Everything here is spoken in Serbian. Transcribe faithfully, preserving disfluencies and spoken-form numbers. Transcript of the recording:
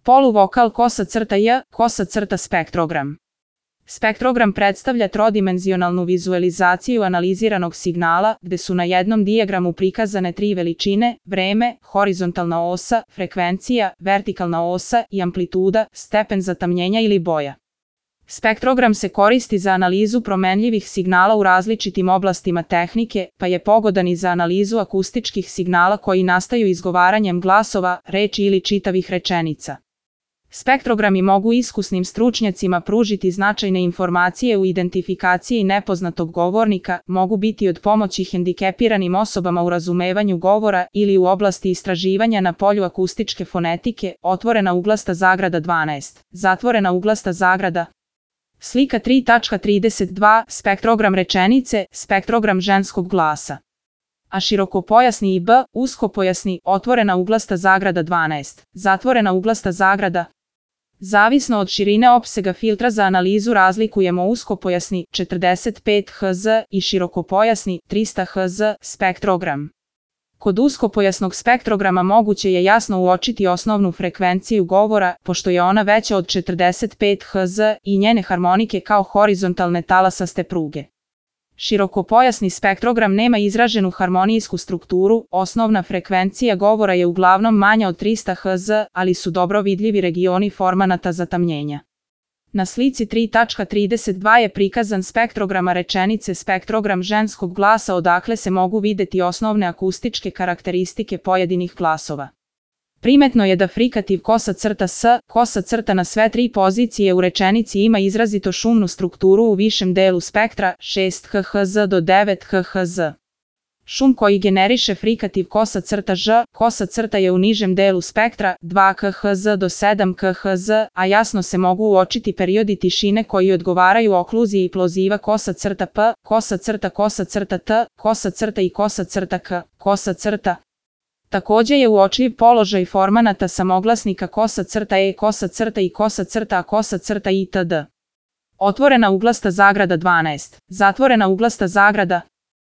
Poluvokal kosa crta J, kosa crta spektrogram. Spektrogram predstavlja trodimenzionalnu vizualizaciju analiziranog signala, gde su na jednom dijagramu prikazane tri veličine: vreme, horizontalna osa, frekvencija, vertikalna osa i amplituda, stepen zatamnjenja ili boja. Spektrogram se koristi za analizu promenljivih signala u različitim oblastima tehnike, pa je pogodan i za analizu akustičkih signala koji nastaju izgovaranjem glasova, reči ili čitavih rečenica. Spektrogrami mogu iskusnim stručnjacima pružiti značajne informacije u identifikaciji nepoznatog govornika, mogu biti od pomoći hendikepiranim osobama u razumevanju govora ili u oblasti istraživanja na polju akustičke fonetike. Otvorena uglasta zagrada dvanaest, zatvorena uglasta zagrada. Slika tri tačka trideset dva, spektrogram rečenice, spektrogram ženskog glasa. A širokopojasni i B, uskopojasni, otvorena uglasta zagrada dvanaest, zatvorena uglasta zagrada. Zavisno od širine opsega filtra za analizu razlikujemo uskopojasni četrdeset pet hertz i širokopojasni trista hertz spektrogram. Kod uskopojasnog spektrograma moguće je jasno uočiti osnovnu frekvenciju govora, pošto je ona veća od četrdeset pet hertz i njene harmonike kao horizontalne talasaste pruge. Širokopojasni spektrogram nema izraženu harmonijsku strukturu, osnovna frekvencija govora je uglavnom manja od trista hertz, ali su dobro vidljivi regioni formanata zatamnjenja. Na slici tri tačka trideset dva je prikazan spektrograma rečenice, spektrogram ženskog glasa, odakle se mogu videti osnovne akustičke karakteristike pojedinih glasova. Primetno je da frikativ kosa crta S, kosa crta na sve tri pozicije u rečenici ima izrazito šumnu strukturu u višem delu spektra, šest hertz do devet hertz. Šum koji generiše frikativ kosa crta Ž, kosa crta je u nižem delu spektra, dva hertz do sedam hertz, a jasno se mogu uočiti periodi tišine koji odgovaraju okluziji ploziva kosa crta P, kosa crta kosa crta T, kosa crta i kosa crta K, kosa crta. Takođe je uočljiv položaj formanata samoglasnika kosa crta E, kosa crta i kosa crta A, kosa crta itd. Otvorena uglasta zagrada dvanaest, zatvorena uglasta zagrada.